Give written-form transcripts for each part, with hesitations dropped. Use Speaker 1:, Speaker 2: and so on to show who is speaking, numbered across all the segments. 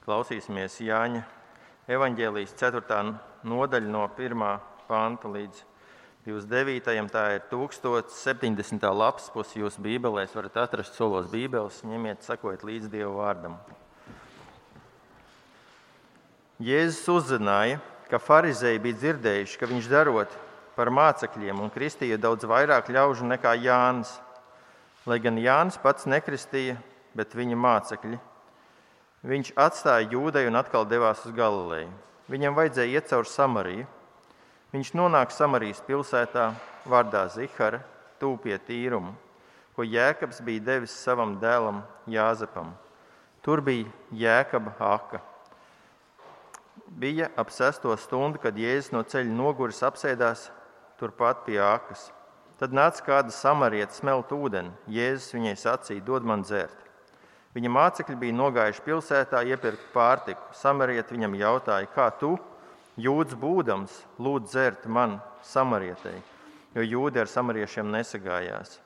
Speaker 1: Klausīsimies Jāņa evaņģēlijas 4. nodaļa no 1. panta līdz 29. Tā ir 1070. lapas puse jūsu bībelēs. Varat atrast solos bībeles, ņemiet, sekojiet līdz Dieva vārdam. Jēzus uzzināja, ka farizēji bija dzirdējuši, ka viņš darot par mācekļiem un kristīja daudz vairāk ļaužu nekā Jānis, lai gan Jānis pats nekristīja, bet viņa mācekļi. Viņš atstāja Jūdeju un atkal devās uz Galileju. Viņam vajadzēja iet caur Samariju. Viņš nonāk Samarijas pilsētā vārdā Zihara, tuvu pie Tīruma, ko Jēkabs bija devis savam dēlam Jāzepam. Tur bija Jēkaba aka. Bija ap 6. stundu, kad Jēzus no ceļa noguris apsēdās turpat pie akas. Tad nāca kāda samarieta smelt ūdeni. Jēzus viņai sacīja: dod man dzert. Viņa mācekļi bija nogājuši pilsētā iepirkt pārtiku. Samarieta viņam jautāja: kā tu, jūds būdams, lūdz dzert man, samarietei, jo jūdi ar samariešiem nesagājās.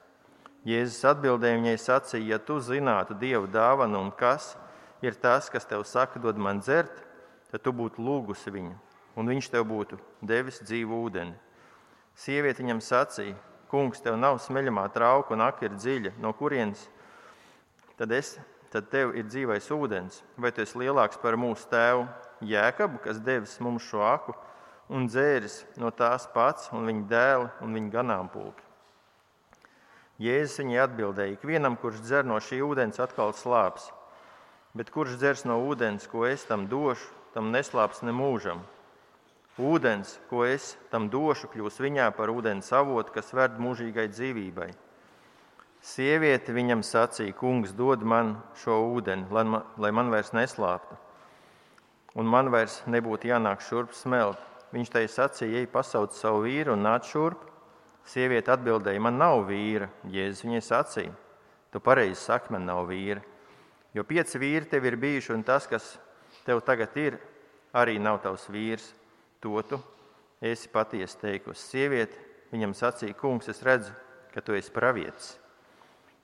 Speaker 1: Jēzus atbildēja viņai sacīja: ja tu zinātu Dievu dāvanu un kas ir tas, kas tev saka, dod man dzert, tad tu būtu lūgusi viņu, un viņš tev būtu devis dzīvu ūdeni. Sieviete viņam sacīja: kungs, tev nav smeļamā trauka un aka ir dziļa, no kurienes tad tev ir dzīvais ūdens? Vai tu esi lielāks par mūsu tēvu Jēkabu, kas devis mums šo aku un dzēris no tās pats un viņa dēli un viņa ganāmpulki? Jēzus viņai atbildēja: ikvienam, kurš dzer no šī ūdens, atkal slāps, bet kurš dzers no ūdens, ko es tam došu, tam neslāps nemūžam. Ūdens, ko es tam došu, kļūs viņā par ūdens avotu, kas ved mūžīgai dzīvībai. Sieviete viņam sacīja: kungs, dod man šo ūdeni, lai man vairs neslāptu, un man vairs nebūtu jānāk šurp smelt. Viņš tai sacīja: ej, pasauc savu vīru un nāc šurp. Sieviete atbildēja: man nav vīra. Jēzus viņai sacīja: tu pareizi saki, man nav vīra, jo 5 vīri tev ir bijuši, un tas, kas tev tagad ir, arī nav tavs vīrs. To tu esi patiesi teikusi. Sieviete viņam sacīja: kungs, es redzu, ka tu esi pravietis.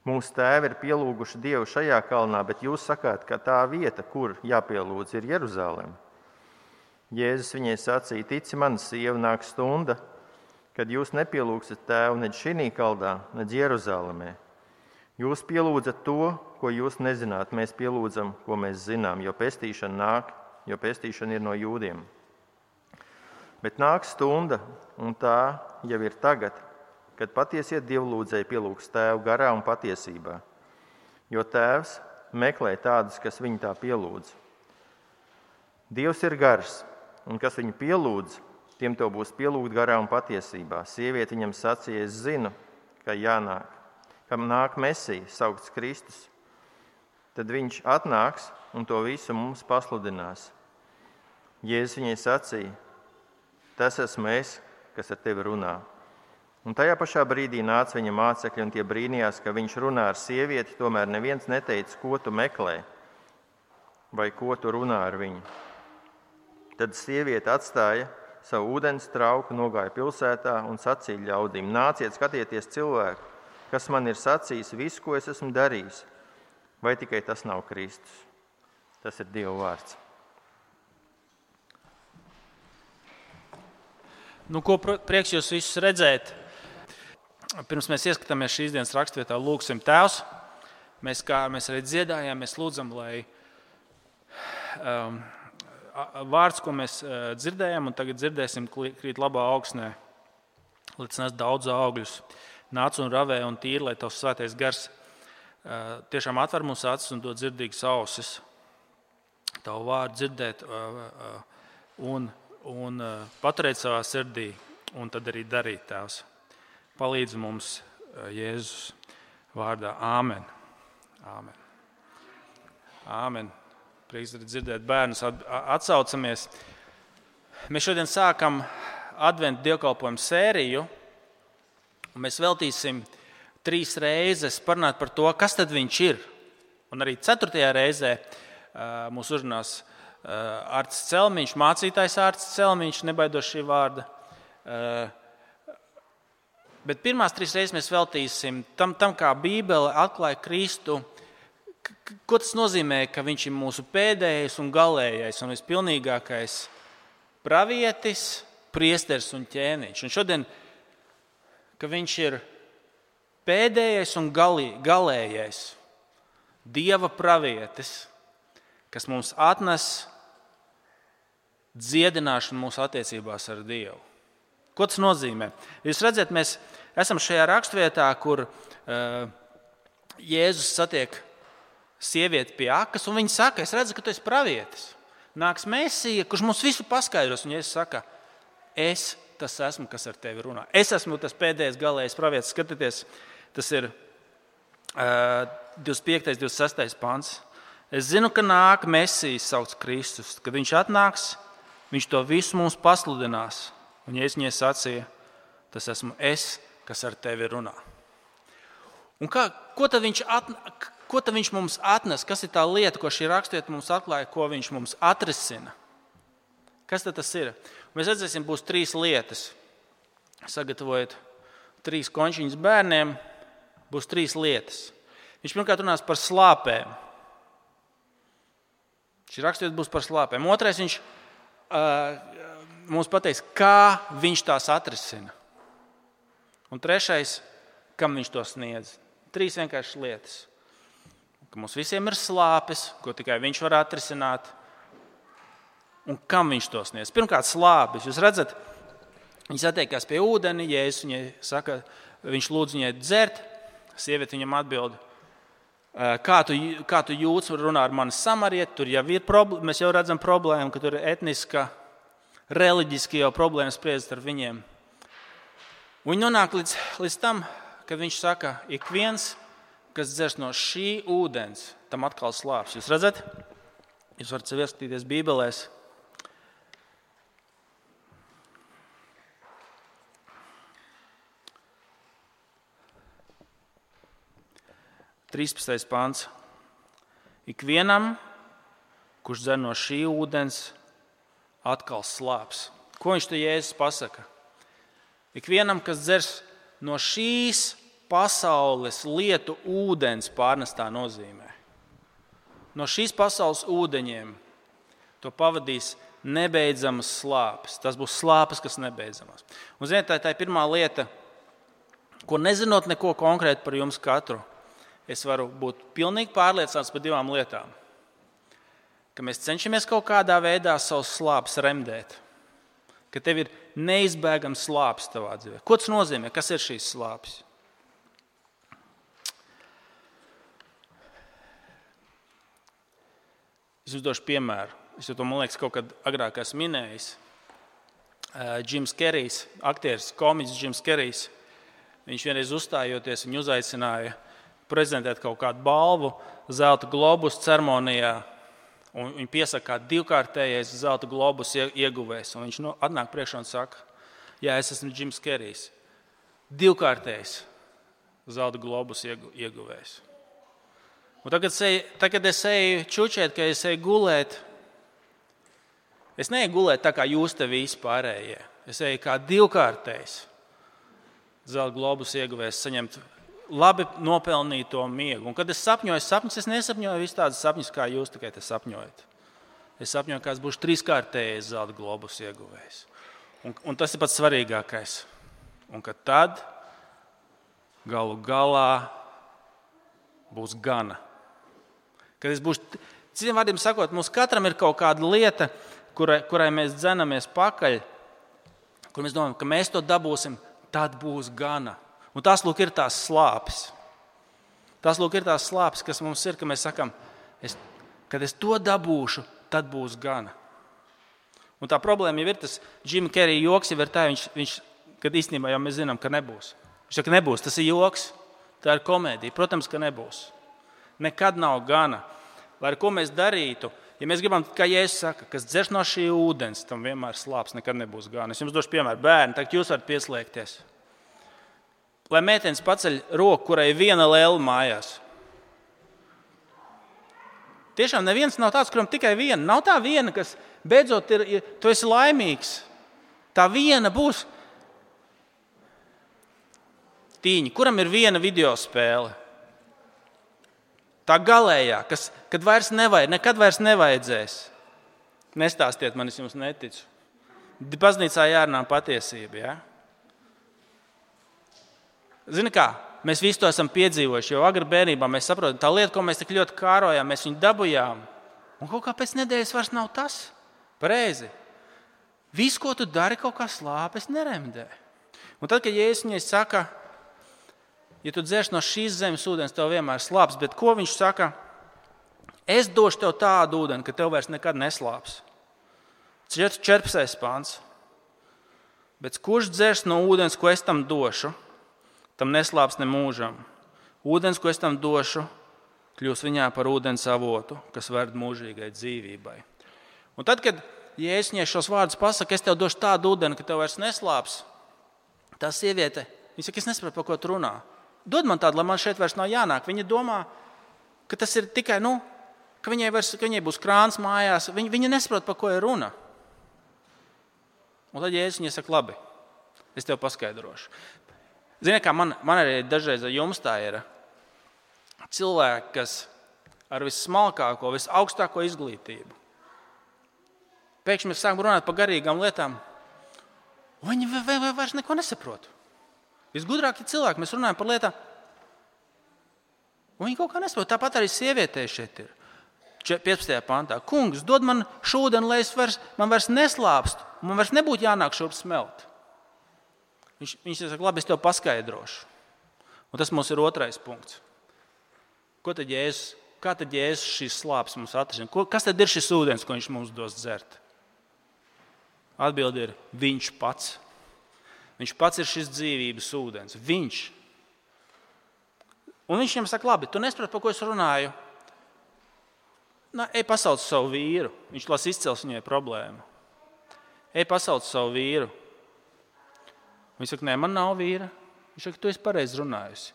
Speaker 1: Mūsu tēvi ir pielūguši Dievu šajā kalnā, bet jūs sakāt, ka tā vieta, kur jāpielūdz, ir Jeruzaleme. Jēzus viņai sacīja: tici man, sieva, nāk stunda, kad jūs nepielūgsiet tēvu nedz šinī kaldā, nedz Jeruzalemē. Jūs pielūdzat to, ko jūs nezināt, mēs pielūdzam, ko mēs zinām, jo pestīšana nāk, jo pestīšana ir no jūdiem. Bet nāk stunda, un tā jau ir tagad, kad patiesie dievlūdzēji pielūgs tēvu garā un patiesībā, jo tēvs meklē tādus, kas viņu tā pielūdz. Dievs ir gars, un kas viņu pielūdz, tiem to būs pielūgt garā un patiesībā. Sieviete viņam sacīja: es zinu, ka jānāk, kam nāk Mesija, saukts Kristus. Tad viņš atnāks un to visu mums pasludinās. Jēzus viņai sacīja: tas esmu es, kas ar tevi runā. Un tajā pašā brīdī nāca viņa mācekļi, un tie brīnījās, ka viņš runā ar sievieti, tomēr neviens neteica, ko tu meklē vai ko tu runā ar viņu. Tad sieviete atstāja savu ūdens trauku, nogāja pilsētā un sacīja ļaudīm: nāciet, skatieties cilvēku, kas man ir sacījis visu, ko es esmu darījis. Vai tikai tas nav Kristus? Tas ir Dieva vārds.
Speaker 2: Ko prieks jūs visus redzēt? Pirms mēs ieskatāmies šīs dienas rakstvietā, lūgsim Tēvs. Mēs arī dziedājām, mēs lūdzam, lai vārds, ko mēs dzirdējām un tagad dzirdēsim, krīt labā augsnē, lai tas nes daudz augļus. Nāc un ravē un tīri, lai tavs svētais gars tiešām atver mūsu acis un dod dzirdīgas ausis. Tavu vārdu dzirdēt un paturēt savā sirdī, un tad arī darīt, Tēvs. Palīdz mums Jēzus vārdā. Āmen. Āmen. Āmen. Prieks dzirdēt bērnus. Atsaucamies. Mēs šodien sākam adventu dievkalpojumu sēriju, un mēs veltīsim 3 reizes parunāt par to, kas tad viņš ir. Un arī 4. reizē mūs uzrunās Ārts Celmiņš, mācītājs Ārts Celmiņš, nebaidos šī vārda. Bet pirmās 3 reizes mēs veltīsim tam kā Bībele atklāja Kristu Ko tas nozīmē, ka viņš ir mūsu pēdējais un galējais un vispilnīgākais pravietis, priesteris un ķēniņš? Un šodien, ka viņš ir pēdējais un galējais Dieva pravietis, kas mums atnes dziedināšanu mūsu attiecībās ar Dievu. Ko tas nozīmē? Jūs redzat, mēs esam šajā rakstvietā, kur Jēzus satiek sievieti pie akas, un viņa saka, es redzu, ka tu esi pravietis. Nāks Mēsija, kurš mums visu paskaidros, un Jēzus saka, es tas esmu, kas ar tevi runā. Es esmu tas pēdējais galējais pravietis. Skatieties, tas ir 25. 26. pants. Es zinu, ka nāk Mēsijs sauc Kristus. Kad viņš atnāks, viņš to visu mums pasludinās. Un Jēzus viņai sacīja, tas esmu es, kas ar tevi runā. Un ko tad viņš mums atnes? Kas ir tā lieta, ko šī rakstvieta mums atklāja, ko viņš mums atrisina? Kas tad tas ir? Mēs redzēsim, būs 3 lietas. Sagatavojot 3 končiņas bērniem, būs 3 lietas. Viņš pirmkārt runās par slāpēm. Šī rakstvieta būs par slāpēm. Otrais, viņš mums pateiks, kā viņš tās atrisina. Un trešais, kam viņš to sniedz. 3 vienkāršas lietas. Ka mums visiem ir slāpes, ko tikai viņš var atrisināt. Un kam viņš to sniedz? Pirmkārt, slāpes. Jūs redzat, viņi satiekās pie ūdeni, Jēzus viņai saka, viņš lūdz viņai dzert. Sieviete viņam atbild, kā tu jūtas, runā ar mani samarieti, tur jau ir problēma, mēs jau redzam problēmu, ka tur ir etniska, reliģiski jau problēmas spriedzes ar viņiem. Un viņi nonāk līdz tam, kad viņš saka, ik viens, kas dzers no šī ūdens, tam atkal slāps. Jūs redzat? Jūs varat sev ieskatīties Bībelēs. Trīspadsmitais pants. Ikvienam, kurš dzer no šī ūdens, atkal slāps. Ko viņš te Jēzus pasaka? Ikvienam, kas dzers no šīs pasaules lietu ūdens, pārnestā nozīmē. No šīs pasaules ūdeņiem to pavadīs nebeidzamas slāpes. Tas būs slāpes, kas nebeidzamas. Un ziniet, tā ir pirmā lieta, ko nezinot neko konkrēti par jums katru, es varu būt pilnīgi pārliecināts par 2 lietām. Ka mēs cenšamies kaut kādā veidā savus slāpes remdēt. Ka tev ir neizbēgams slāpes tavā dzīvē. Ko tas nozīmē? Kas ir šīs slāpes? Es uzdošu piemēru. Es to, man liekas, kaut kad agrāk esmu minējis. Džims Kerijs, aktieris, komiķis Džims Kerijs, viņš vienreiz uzstājoties, viņu uzaicināja prezentēt kaut kādu balvu Zelta globus ceremonijā. Un viņi piesaka, kā 2-kārtējais Zelta globus ieguvējs. Un viņš atnāk priekšā un saka, jā, es esmu Džims Kerijs. 2-kārtējs Zelta globus ieguvējs. Un tagad es eju čučēt, ka es eju gulēt. Es neeju gulēt tā, kā jūs te visi pārējie. Es eju kā 2-kārtējs Zelta globus ieguvējs saņemt labi nopelnīto miegu. Un kad es sapņoju sapņus, es nesapņoju visu tādas sapņus, kā jūs tikai te sapņojat. Es sapņoju, kāds būs 3-kārtējais Zelta globus ieguvējs. Un tas ir pats svarīgākais. Un ka tad galu galā būs gana. Kad es būšu, citiem vārdiem sakot, mums katram ir kaut kāda lieta, kurai mēs dzenamies pakaļ, kur mēs domājam, ka mēs to dabūsim, tad būs gana. Un tās lūk ir tās slāpes. Tās lūk ir tās slāpes, kas mums ir, ka mēs sakam, kad es to dabūšu, tad būs gana. Un tā problēma jau ir tas Džima Kerija joks, jau ir tā, viņš, kad īstenībā jau mēs zinām, ka nebūs. Viņš saka, nebūs, tas ir joks, tā ir komēdija. Protams, ka nebūs. Nekad nav gana. Lai ar ko mēs darītu, ja mēs gribam, kā Jēzus saka, kas dzers no šī ūdens, tam vienmēr slāps, nekad nebūs gana. Es jums došu piemēru. Bērni, tagad jūs varat pieslēgties. Lai meitenes paceļ roku, kurai ir 1 lēle mājās. Tiešām neviens nav tāds, kuram tikai 1. Nav tā 1, kas beidzot tu esi laimīgs. Tā 1 būs tīņa, kuram ir 1 video spēle. tā galējā, kad nekad vairs nevajadzēs. Nestāstiet man, es jums neticu. Baznīcā jārunā patiesība, ja? Zini kā, mēs visi to esam piedzīvojuši, jo agri bērnībā mēs saprotam, tā lieta, ko mēs tik ļoti kārojām, mēs viņu dabujām. Un kaut kā pēc nedēļas vairs nav tas. Pareizi. Viss, ko tu dari, kaut kā slāpes neremdē. Un tad, kad Jēzus viņai saka, ja tu dzersi no šīs zemes ūdens, tev vienmēr slāps, bet ko viņš saka? Es došu tev tādu ūdeni, ka tev vairs nekad neslāps. 14. pāns. Bet kurš dzers no ūdens, ko es tam došu, tam neslāps ne mūžam. Ūdens, ko es tam došu, kļūs viņā par ūdens avotu, kas ved mūžīgai dzīvībai. Un tad, kad Jēzus viņai šos vārdus pasaka, es tev došu tādu ūdeni, ka tev vairs neslāps, tā sieviete, viņa saka, es nesaprotu, par ko tu runā. Dod man tādu, lai man šeit vairs nav jānāk. Viņa domā, ka tas ir tikai, ka viņai būs krāns mājās. Viņa nesaprot, par ko ir runa. Un tad Jēzus viņai saka, labi, es tev paskaidrošu. Zini, kā man arī dažreiz ar jums tā ir. Cilvēki, kas ar vissmalkāko, visaugstāko izglītību. Pēkšņi mēs sākam runāt par garīgām lietām. Viņi vairs neko nesaprot. Visgudrākie cilvēki, mēs runājam par lietām. Un viņi kaut kā nesaprot. Tāpat arī sievietē šeit ir. 15. pantā. Kungs, dod man šūdeni, lai man vairs neslāpst. Man vairs nebūtu jānāk šurp smelt. Viņš saka, labi, es tev paskaidrošu. Un tas mums ir otrais punkts. Kā tad Jēzus šīs slāpes mums atrisina? Kas tad ir šis ūdens, ko viņš mums dos dzert? Atbilde ir viņš pats. Viņš pats ir šis dzīvības ūdens. Viņš. Un viņš viņam saka, labi, tu nesaproti, par ko es runāju. Ej pasauc savu vīru. Viņš las izcels viņai problēmu. Ej pasauc savu vīru. Viņš saka, nē, man nav vīra. Viņš saka, tu esi pareizi runājusi.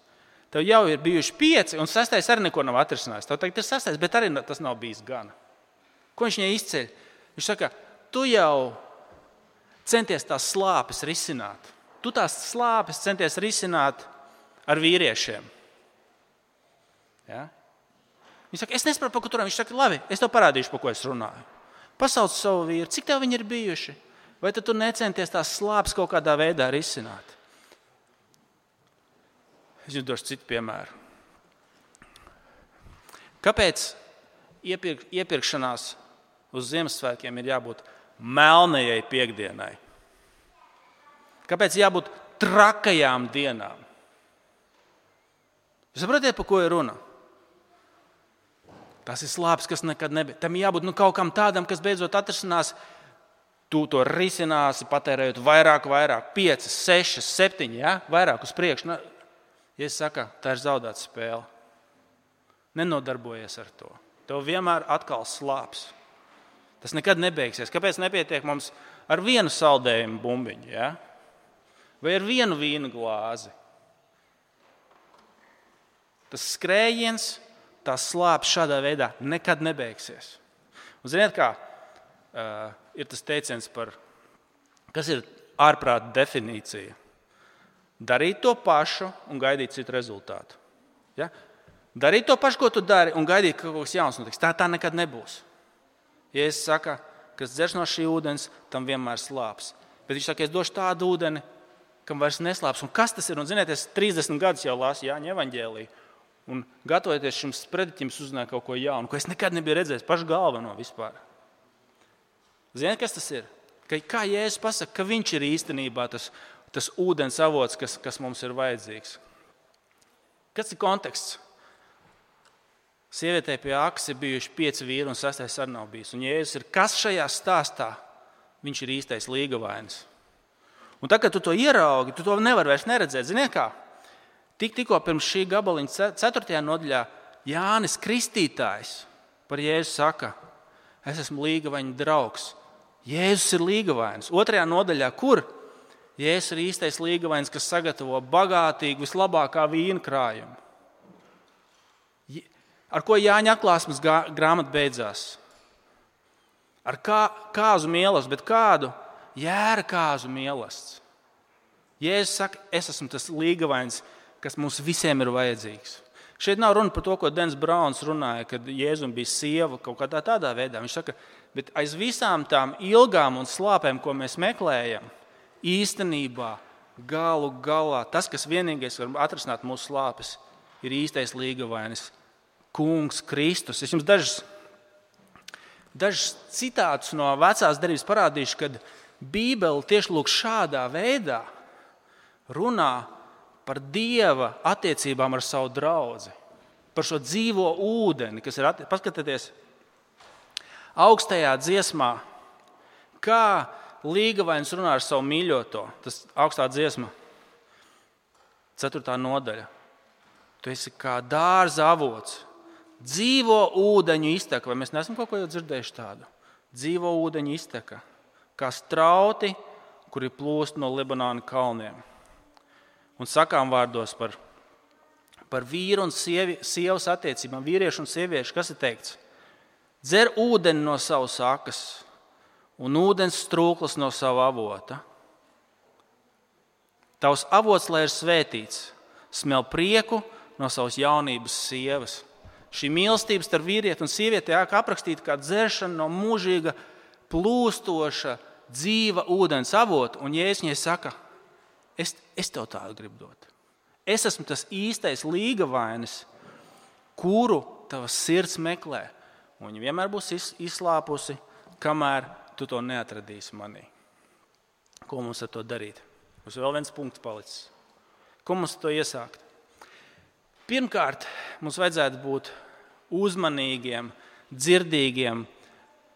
Speaker 2: Tev jau ir bijuši 5, un 6. arī neko nav atrisinājis. Tev tagad ir 6, bet arī tas nav bijis gana. Ko viņš viņai izceļ? Viņš saka, tu jau centies tās slāpes risināt. Tu tās slāpes centies risināt ar vīriešiem. Ja? Viņš saka, es nesaprotu, par ko tur runā. Viņš saka, labi, es tev parādīšu, par ko es runāju. Pasauc savu vīru, cik tev viņi ir bijuši? Vai tad tu necenties tās slāpes kaut kādā veidā risināt? Es jums došu citu piemēru. Kāpēc iepirkšanās uz Ziemassvētkiem ir jābūt melnajai piektdienai? Kāpēc jābūt trakajām dienām? Jūs saprotiet, par ko ir runa? Tas ir slāpes, kas nekad nebija. Tam jābūt kaut kam tādam, kas beidzot atrisinās. Tu to risināsi, patērējot vairāk, 5, 6, 7, ja? Vairāk uz priekšu. Ja es saku, tā ir zaudēta spēle. Nenodarbojies ar to. Tev vienmēr atkal slāps. Tas nekad nebeigsies. Kāpēc nepietiek mums ar vienu saldējumu bumbiņu? Ja? Vai ar vienu vīnu glāzi? Tas skrējiens, tās slāpes šādā veidā nekad nebeigsies. Un ziniet kā, ir tas teiciens par, kas ir ārprāta definīcija? Darīt to pašu un gaidīt citu rezultātu. Ja? Darīt to pašu, ko tu dari, un gaidīt, ka kaut kas jauns notiks. Tā nekad nebūs. Ja es saku, kas dzers no šī ūdens, tam vienmēr slāps. Bet viņš saka, es došu tādu ūdeni, kam vairs neslāps. Un kas tas ir? Un, ziniet, es 30 gadus jau lasu Jāņa evaņģēliju. Un gatavoties šim sprediķim, uzzināju kaut ko jaunu, ko es nekad nebiju redzējis, pašu galveno vispār. Ziniet, kas tas ir? Kā Jēzus pasaka, ka viņš ir īstenībā tas ūdens avots, kas mums ir vajadzīgs. Kas ir konteksts? Sievietei pie akas ir bijuši 5 vīri un 6. arī nav bijis. Un Jēzus ir, kas šajā stāstā? Viņš ir īstais līgavainis. Un tad, kad tu to ieraugi, tu to nevar vairs neredzēt. Ziniet kā? Tikko pirms šī gabaliņa 4. nodaļā Jānis Kristītājs par Jēzu saka, es esmu līgavaņa draugs. Jēzus ir līgavainis. 2. nodaļā, kur? Jēzus ir īstais līgavainis, kas sagatavo bagātīgu, vislabākā vīna krājumu. Ar ko Jāņa atklāsmes grāmata beidzās? Ar kāzu mīlestību, bet kādu? Jēra kāzu mīlestību. Jēzus saka, es esmu tas līgavains, kas mums visiem ir vajadzīgs. Šeit nav runa par to, ko Dens Brauns runāja, kad Jēzum bija sieva kaut kādā tādā veidā. Viņš saka, bet aiz visām tām ilgām un slāpēm, ko mēs meklējam, īstenībā galu galā tas, kas vienīgais var atrisināt mūsu slāpes, ir īstais līgavainis, Kungs Kristus. Es jums dažus citātus no vecās derības parādīšu, kad Bībele tieši lūk šādā veidā runā par Dieva attiecībām ar savu draudzi, par šo dzīvo ūdeni, kas ir paskatieties augstajā dziesmā, kā līgavainis runā ar savu mīļoto. Tas augstā dziesma, 4. nodaļa. Tu esi kā dārza avots, dzīvo ūdeņu izteka. Vai mēs neesam kaut ko jau dzirdējuši tādu? Dzīvo ūdeņu izteka, kā strauti, kuri plūst no Libanona kalniem. Un sakām vārdos par vīru un sievas attiecībām, vīriešu un sieviešu, kas ir teikts? Dzer ūdeni no savas akas un ūdens strūklas no sava avota. Tavs avots, lai ir svētīts, smel prieku no savas jaunības sievas. Šī mīlestība starp vīrieti un sievieti tiek aprakstīta kā dzeršana no mūžīga, plūstoša, dzīva ūdens avota. Un Jēzus viņai saka, es tev tādu gribu dot. Es esmu tas īstais līgavainis, kuru tavas sirds meklē. Un viņa vienmēr būs izslāpusi, kamēr tu to neatradīsi manī. Ko mums ar to darīt? Mums vēl viens punkts palicis. Ko mums ar to iesākt? Pirmkārt, mums vajadzētu būt uzmanīgiem, dzirdīgiem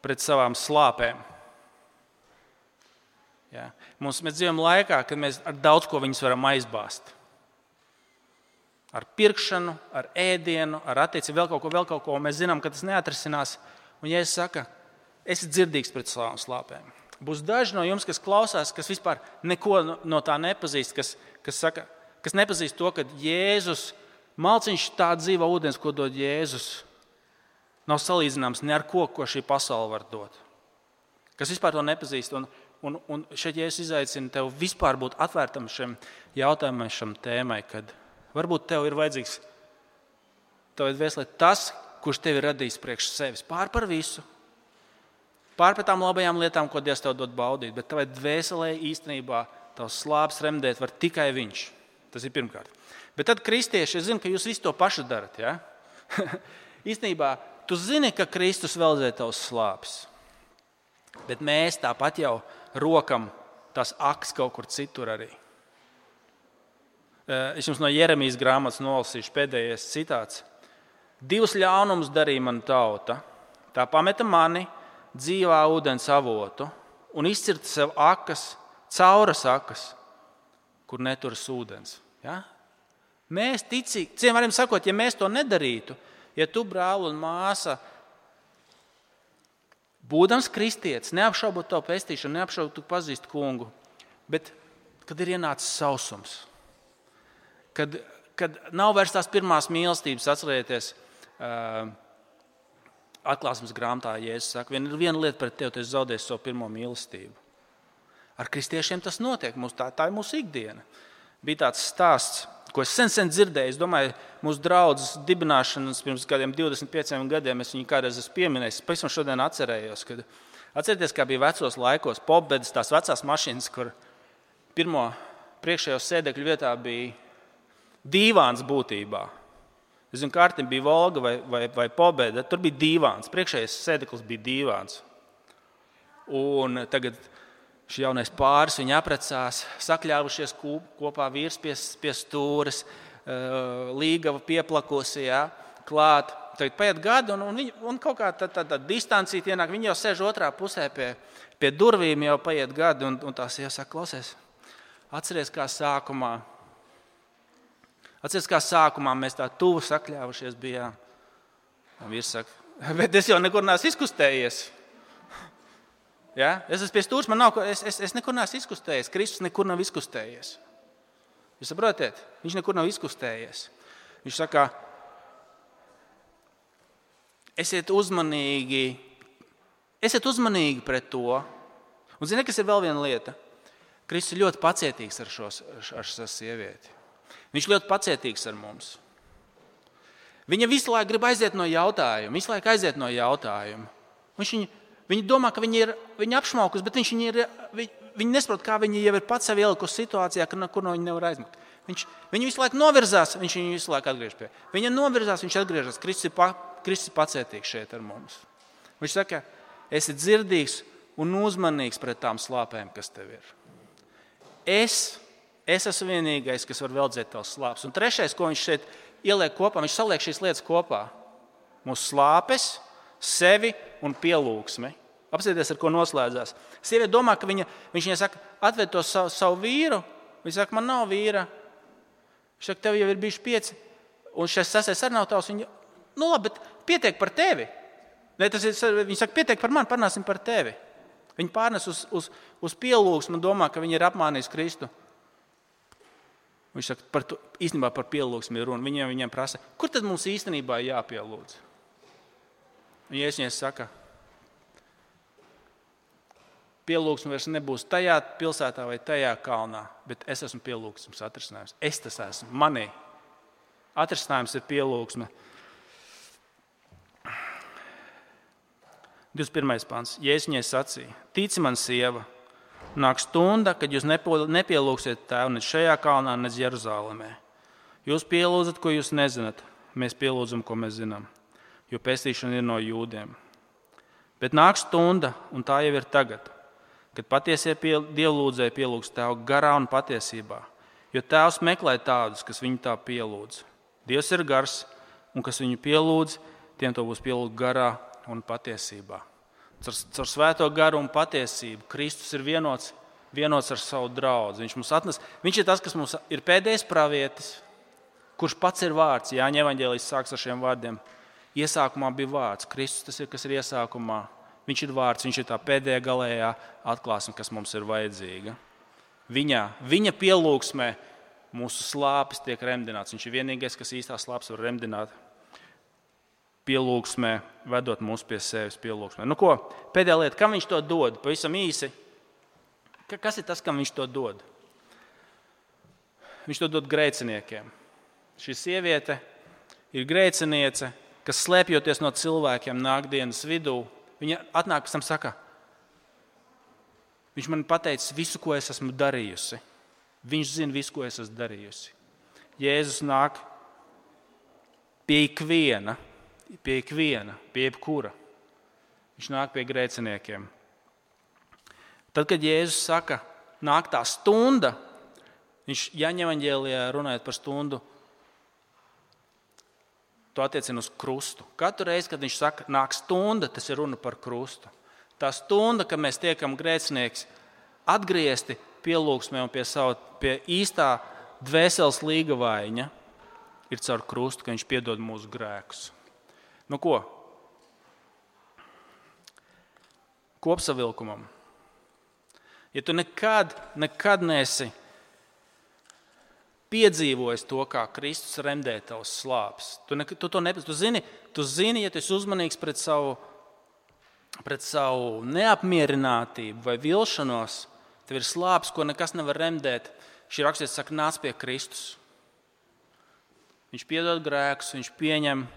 Speaker 2: pret savām slāpēm. Ja. Mēs dzīvojam laikā, kad mēs ar daudz ko viņus varam aizbāzt. Ar pirkšanu, ar ēdienu, ar attiecību, vēl kaut ko. Mēs zinām, ka tas neatrisinās. Un ja es saku, esi dzirdīgs pret savām slāpēm. Būs daži no jums, kas klausās, kas vispār neko no tā nepazīst, kas nepazīst to, ka Jēzus, malciņš tā dzīva ūdens, ko dod Jēzus, nav salīdzināms ne ar ko šī pasaule var dot. Kas vispār to nepazīst. Un šeit Jēzus izaicina tev vispār būt atvērtam šim jautājumam, šam tēmai, kad varbūt tev ir vajadzīgs tev dvēselē tas, kurš tevi radījis priekš sevis. Pār par visu. Pār par tām labajām lietām, ko Dievs tev dod baudīt. Bet tavai dvēselē īstenībā tavs slāpes remdēt var tikai Viņš. Tas ir pirmkārt. Bet tad kristieši, es zinu, ka jūs visu to pašu darat. Ja? Īstenībā tu zini, ka Kristus veldzē tavs slāpes. Bet mēs tāpat jau rokam tās akas kaut kur citur arī. Es jums no Jeremijas grāmatas nolasīšu pēdējais citāts. 2 ļaunumus darīja mana tauta. Tā pameta mani dzīvā ūdens avotu un izcirta sev akas, cauras akas, kur neturas ūdens. Ja? Mēs ticīgi, ciem varam sakot, ja mēs to nedarītu, ja tu, brāl un māsa, būdams kristietis, neapšaubot tavu pestīšanu, neapšaubot tu pazīst kungu, bet kad ir ienācis sausums, kad nav vairs tās pirmās mīlestības, atcerieties, atklāsmes grāmatā Jēzus saka, viena lieta pret tevi, tu esi zaudējis savu pirmo mīlestību. Ar kristiešiem tas notiek, tā ir mūsu ikdiena. Bija tāds stāsts, ko es sen dzirdēju. Es domāju, mūsu draudzes dibināšanas pirms kādiem 25 gadiem es viņu kādreiz esmu pieminējis. Es pavisam šodien atcerējos, kad atcerieties, kā bija vecos laikos popbedas, tās vecās mašīnas, kur pirmo priekšējo sēdekļu vietā bija dīvāns būtībā. Es zinu, kārtim bija Volga vai pobeda, tur bija dīvāns. Priekšējais sēdeklis bija dīvāns. Un tagad šī jaunais pāris, viņi aprecās, sakļāvušies kopā vīrs pie stūres, līgava pieplakusi, ja, klāt. Tagad paiet gadi un kaut kā tā distancīta ienāk. Viņi jau sēž otrā pusē pie durvīm, jau paiet gadi un tās iesaka, klausies, atceries, kā sākumā mēs tā tuvu sakļāvušies bijām. Un vīrs saka, bet es jau nekur neesmu izkustējies. Ja? Es esmu pie stūres, es nekur neesmu izkustējies. Kristus nekur nav izkustējies. Jūs saprotiet? Viņš nekur nav izkustējies. Viņš saka, esiet uzmanīgi pret to. Un zini, kas ir vēl viena lieta? Kristus ir ļoti pacietīgs ar šo sievieti. Viņš ļoti pacietīgs ar mums. Viņa visu laiku grib aiziet no jautājuma. Viņa domā, ka viņa apšmaukus, bet viņa nesaprot, kā viņa jau ir pats sevi ielikusi situācijā, kur no viņa nevar aizmukt. Viņa visu laiku novirzās, viņš viņu visu laiku atgriež pie. Viņa novirzās, viņš atgriežas. Kristus ir pacietīgs šeit ar mums. Viņš saka, esi dzirdīgs un uzmanīgs pret tām slāpēm, kas tev ir. Es esmu vienīgais, kas var veldzēt tavs slāpes. Un trešais, ko viņš šeit ieliek kopā, viņš saliek šīs lietas kopā. Mūsu slāpes, sevi un pielūgsmi. Apsieties, ar ko noslēdzās. Sieviete domā, ka viņš viņai saka, atved to savu vīru. Viņa saka, man nav vīra. Viņš saka, tev jau ir bijuši 5. Un šis 6. arī nav tavs. Viņa, labi, bet pietiek par tevi. Viņa saka, pietiek par mani, parunāsim par tevi. Viņa pārnes uz pielūgsmu un domā, ka viņa ir apmānījis Kristu. Viņš saka, īstenībā par pielūgsmu ir runa. Viņiem prasa, kur tad mums īstenībā jāpielūdz? Un Jēzus viņai saka, pielūgsme vairs nebūs tajā pilsētā vai tajā kalnā, bet es esmu pielūgsmes atrisinājums. Es tas esmu. Manī atrisinājums ir pielūgsme. 21. pants. Jēzus viņai sacīja, tici man, sieva, nāk stunda, kad jūs nepielūgsiet Tēvu ne šajā kalnā, ne Jeruzālēmē. Jūs pielūdzat, ko jūs nezināt. Mēs pielūdzam, ko mēs zinām, jo pestīšana ir no jūdiem. Bet nāk stunda, un tā jau ir tagad, kad patiesie dievlūdzēji pielūgs Tēvu garā un patiesībā, jo Tēvs meklē tādus, kas viņu tā pielūdz. Dievs ir gars, un kas viņu pielūdz, tiem to būs pielūgt garā un patiesībā. Caur svēto garu un patiesību Kristus ir vienots ar savu draudzi. Viņš ir tas, kas mums ir pēdējais pravietis, kurš pats ir vārds. Jāņa evaņģēlijs sāks ar šiem vārdiem. Iesākumā bija vārds. Kristus tas ir, kas ir iesākumā. Viņš ir vārds, viņš ir tā pēdējā galējā atklāsme, kas mums ir vajadzīga. Viņa pielūgsmē mūsu slāpes tiek remdināts. Viņš ir vienīgais, kas īstās slāpes var remdināt. Pielūgsmē, vedot mūs pie sevis pielūgsmē. Pēdējā lieta, kam viņš to dod? Pavisam īsi. Kas ir tas, kam viņš to dod? Viņš to dod grēciniekiem. Šī sieviete ir grēciniece, kas slēpjoties no cilvēkiem nākdienas vidū. Viņa atnāk pēc tam saka, viņš man pateicis visu, ko es esmu darījusi. Viņš zina visu, ko es esmu darījusi. Jēzus nāk pie ikviena, pie jebkura. Viņš nāk pie grēciniekiem. Tad, kad Jēzus saka, nāk tā stunda, viņš Jāņa evaņģēlijā runājot par stundu, to attiecina uz krustu. Katru reizi, kad viņš saka, nāk stunda, tas ir runa par krustu. Tā stunda, kad mēs tiekam grēcinieks atgriezti pielūgsmē un pie īstā dvēseles līgavaiņa, ir caur krustu, ka viņš piedod mūsu grēkus. Kopsavilkumam. Ja tu nekad neesi piedzīvojis to, kā Kristus remdē tavas slāpes, tu zini, ja tu esi uzmanīgs pret savu neapmierinātību vai vilšanos, tev ir slāpes, ko nekas nevar remdēt. Šī rakstietis saka, nāc pie Kristus. Viņš piedod grēkus, viņš pieņem.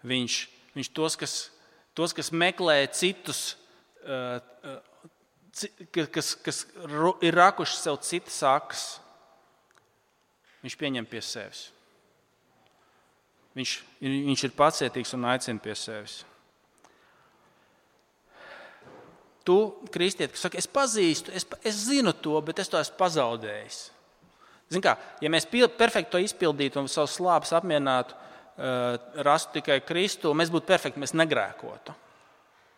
Speaker 2: Viņš tos, kas meklē citus, kas ir rakuši sev citas sakas, viņš pieņem pie sevis. Viņš ir pacietīgs un aicina pie sevis. Tu, kristieti, kas saka, es pazīstu, es zinu to, bet es to esmu pazaudējis. Zini kā, ja mēs perfekti to izpildītu un savus slāpes apmierinātu, rastu tikai Kristu, mēs būtu perfekti, mēs negrēkotu.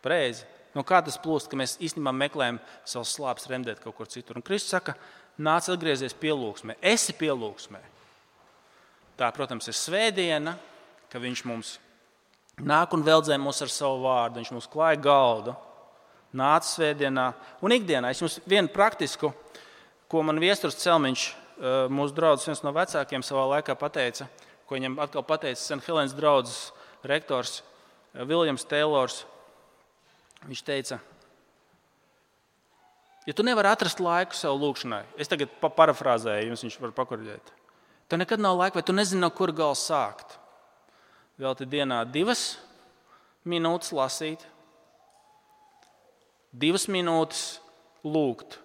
Speaker 2: Pareizi. Kā tas plūst, ka mēs īstenībā meklējam savus slāpes remdēt kaut kur citur. Un Kristus saka, nāc atgriezies pielūgsmē. Esi pielūgsmē. Tā, protams, ir svētdiena, ka viņš mums nāk un veldzē mūs ar savu vārdu. Viņš mums klāja galdu. Nāc svētdienā un ikdienā. Es jums vienu praktisku, ko man Viesturs Celmiņš, mūsu draudzes viens no vecākiem savā laikā pateica, ko viņam atkal pateica St. Helēnas draudzes rektors Viljams Teilors. Viņš teica, ja tu nevari atrast laiku sev lūkšanai, es tagad parafrāzēju, jums viņš var pakorģēt. Tev nekad nav laika, vai tu nezini, no kur gala sākt. velti dienā 2 minūtes lasīt, 2 minūtes lūgt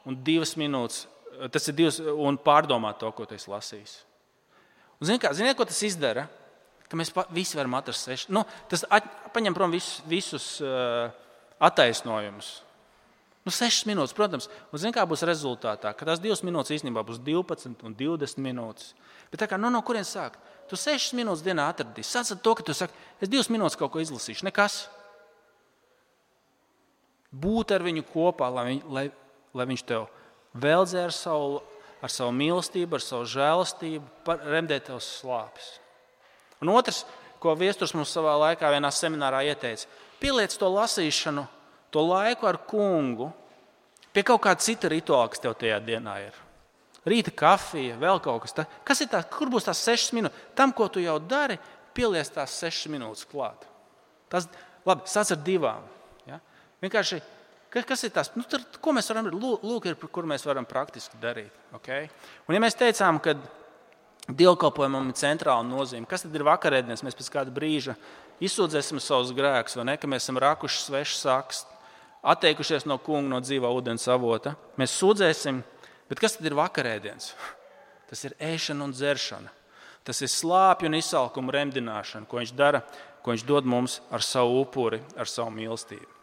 Speaker 2: un 2 minūtes, tas ir 2, un pārdomāt to, ko tu esi lasījis. Un ziniet, ko tas izdara? Ka mēs visi varam atrast 6. Tas paņem prom visus attaisnojumus. 6 minūtes, protams. Un zini, kā būs rezultātā? Ka tās 2 minūtes īstenībā būs 12 un 20 minūtes. Bet tā kā, no kurien sākt? Tu 6 minūtes dienā atradīsi. Sāc ar to, ka tu saki, es 2 minūtes kaut ko izlasīšu. Nekas. Būt ar viņu kopā, lai viņš tev veldzē ar savu mīlestību, ar savu žēlastību, remdē tevs slāpes. Un otrs, ko viesturs mums savā laikā vienā seminārā ieteica, pieliec to lasīšanu, to laiku ar kungu pie kaut kāda cita rituāla, kas tev tajā dienā ir. Rīta kafija, vēl kaut kas. Kas ir tā, kur būs tās 6 minūtes? Tam, ko tu jau dari, pieliec tās 6 minūtes klāt. Labi, sāc ar 2. Ja? Vienkārši, kas ir tās? Ko mēs varam darīt? Lūk, kur mēs varam praktiski darīt. Okay? Un ja mēs teicām, ka dievkalpojumam ir centrāla nozīme. Kas tad ir vakarēdienas? Mēs pēc kāda brīža izsūdzēsim savus grēkus, vai ne? Ka mēs esam rakuši svešas sakas, atteikušies no kunga, no dzīvā ūdens avota. Mēs sūdzēsim, bet kas tad ir vakarēdienas? Tas ir ēšana un dzeršana. Tas ir slāpju un izsalkumu remdināšana, ko viņš dara, ko viņš dod mums ar savu upuri, ar savu mīlestību.